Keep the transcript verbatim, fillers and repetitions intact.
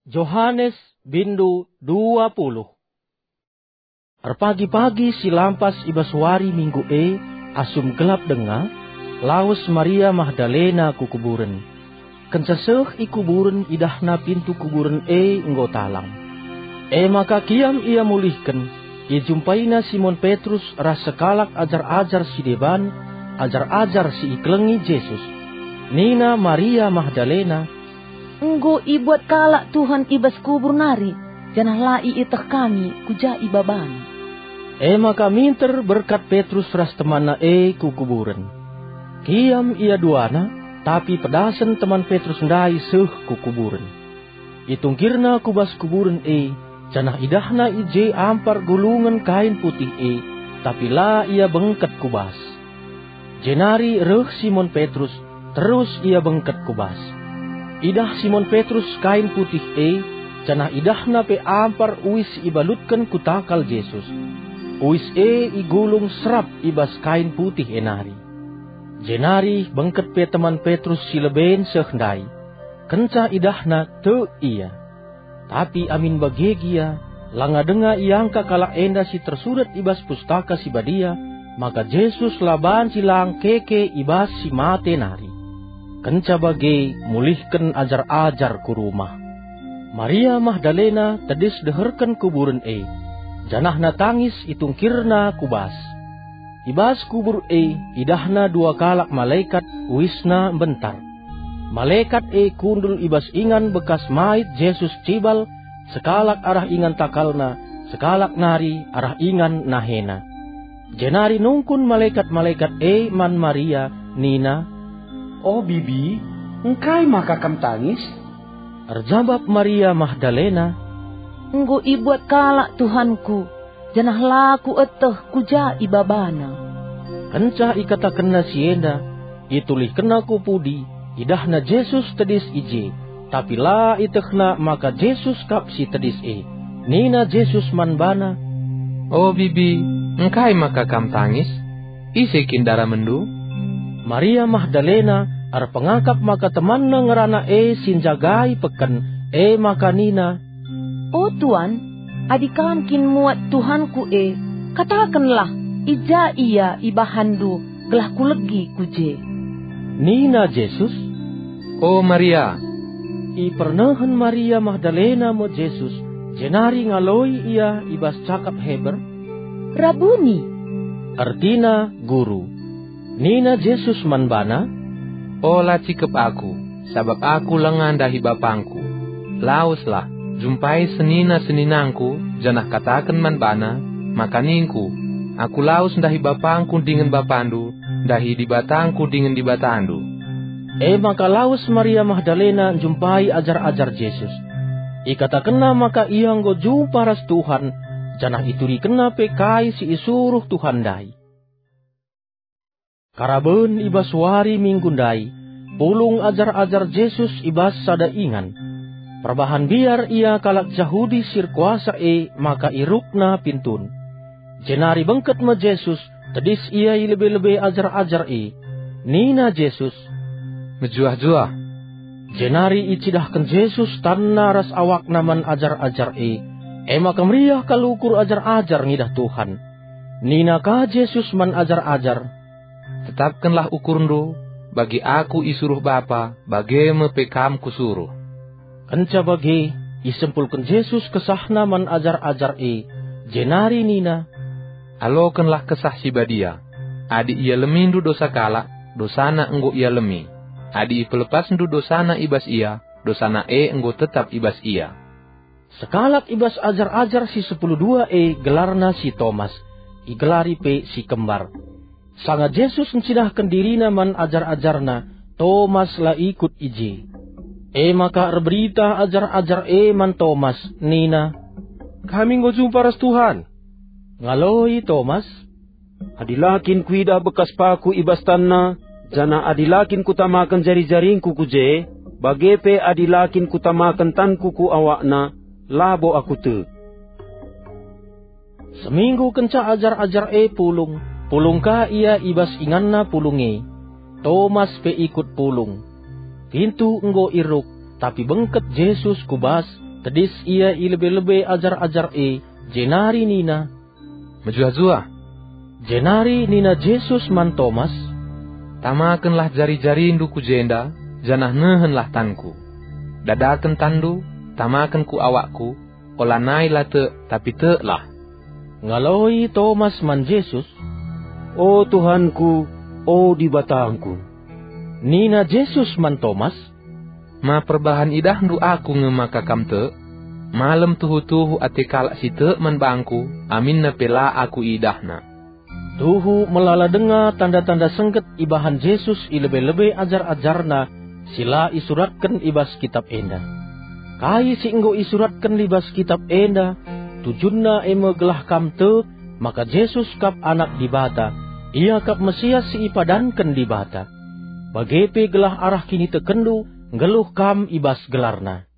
Johanes, bindu dua puluh. Erpagi-pagi si lampas i bas wari Minggu e, asum gelap denga, lawes Maria Magdalena ku kuburen. Kenca seh i kuburen, idahna pintu kuburen e enggo talang. E maka kiam ia mulihken, ijumpaina Simon Petrus ras sekalak ajar-ajar si deban, ajar-ajar si ikelengi Jesus. Nina Maria Magdalena, "Enggo ibuat kalak Tuhan i bas kubur nari, janah la ieteh kami ku ja ibabana." E maka minter berkat Petrus ras temanna e ku kuburen. Kiam ia duana, tapi pedasen teman Petrus ndai seh ku kuburen. Itungkirna ku bas kuburen e, janah idahna i je ampar gulungen kain putih e, tapi la ia bengket ku bas. Jenari reh Simon Petrus, terus ia bengket ku bas. Idah Simon Petrus kain putih e, janah idahna pe ampar uis si ibalutken ku takal Jesus. Uis e igulung serap i bas kain putih e nari. Jenari bengket pe teman Petrus si leben seh ndai. Kenca idahna, tek ia. Tapi amin bage gia, langa denga iangka kalak enda si tersurat i bas Pustaka Si Badia, maka Jesus la banci lang keke i bas si mate nari. Kenca bage, mulihken ajar-ajar ku rumah. Maria Magdalena tedis deherken kuburen e, janahna tangis itungkirna ku bas. I bas kubur e idahna dua kalak malekat, uisna mbentar. Malekat e kundul i bas ingan bekas mait Jesus cibal, sekalak arah ingan takalna, sekalak nari arah ingan nahena. Jenari nungkun malekat-malekat e man Maria, nina, "O bibi, engkai maka kam tangis?" Erjabap Maria Magdalena, "Enggo ibuat kalak Tuhanku, janah la kueteh ku ja ibabana." Kenca ikatakenna si enda, itulihkenna ku pudi, idahna Jesus tedis i je, tapi la ietehna maka Jesus kap si tedis e. Nina Jesus man bana, "O bibi, engkai maka kam tangis? Ise kin daramenndu?" Maria Magdalena erpengakap maka temanna ngerana e si njagai peken, e maka nina, "O Tuan, adi Kam kin muat Tuhanku e, katakenlah, i ja ia ibahanndu gelah kulegi ku je." Nina Jesus, "O Maria!" Ipernehen Maria Magdalena me Jesus, jenari ngaloi ia i bas cakap Heber, "Rabuni!" Ertina, "Guru." Nina Jesus man bana, "Ola cikep Aku, sabap Aku langa ndahi BapangKu. Laweslah, jumpai senina-seninangKu, janah kataken man bana, maka ningKu, 'Aku lawes ndahi BapangKu dingen BapanNdu, ndahi DibatangKu dingen DibatanNdu.'" E maka lawes Maria Magdalena njumpai ajar-ajar Jesus. Ikatakenna maka ia enggo jumpa ras Tuhan, janah iturikenna pe kai si isuruh Tuhan ndai. Karaben i bas wari Minggu ndai, pulung ajar-ajar Jesus i bas sada ingan. Perbahan mbiar ia kalak Jahudi si erkuasa e maka irukna pintun. Jenari bengket me Jesus, tedis ia i lebe-lebe ajar-ajar e. Nina Jesus, "Mejuah-juah." Jenari icidahken Jesus tanna ras awakna man ajar-ajar e. E maka meriah kal ukur ajar-ajar ngidah Tuhan. Nina ka Jesus man ajar-ajar, "Tetapkenlah ukurndu, bagi Aku isuruh Bapa, bage me pe kam Kusuruh." Kenca bage, isempulken Jesus kesahNa man ajar-ajar e, jenari nina, "Alokenlah Kesah Si Badia. Adi ialemindu dosa kalak, dosana enggo ialemi. Adi ipelepasndu dosana i bas ia, dosana e enggo tetap i bas ia." Sekalak i bas ajar-ajar si sepuluh dua e gelarna si Tomas, igelari pe si Kembar. Sanga Jesus ncidahken diriNa man ajar-ajarNa, Tomas la ikut i je. E maka erberita ajar-ajar e man Tomas, nina, "Kami enggo jumpa ras Tuhan." Ngaloi Tomas, "Adi la kin kuidah bekas paku i bas tanNa, janah adi la kin kutamaken jari-jaringku ku je, bage pe adi la kin kutamaken tanku ku awakNa, labo aku tek." Seminggu kenca ajar-ajar e pulung, pulung ka ia i bas inganna pulung e. Tomas pe ikut pulung. Pintu enggo iruk, tapi bengket Jesus ku bas, Tedis ia i lebe-lebe ajar-ajar e, jenari nina, "Mejuah-juah." Jenari nina Jesus man Tomas, "Tamakenlah jari-jarindu ku jenda, janah nehenlah tanKu. Dadaken tanndu, tamaken ku awakKu, olanai la tek, tapi teklah." Ngaloi Tomas man Jesus, "O TuhanKu, o DibatangKu!" Nina Jesus man Tomas, "Ma perbahan idahndu Aku nge maka kam tek? Malem tuhu-tuhu ate kalak si tek man bangKu, aminna pe la Aku iidahna." Tuhu melala denga tanda-tanda sengget ibahan Jesus i lebe-lebe ajar-ajarNa si la isuratken i bas kitap enda. Kai si enggo isuratken i bas kitap enda, tujunna e me gelah kam tek maka Jesus kap Anak Dibata, Ia kap Mesias si ipadanken Dibata. Bage pe gelah arah kinitekenndu nggeluh kam i bas gelarNa.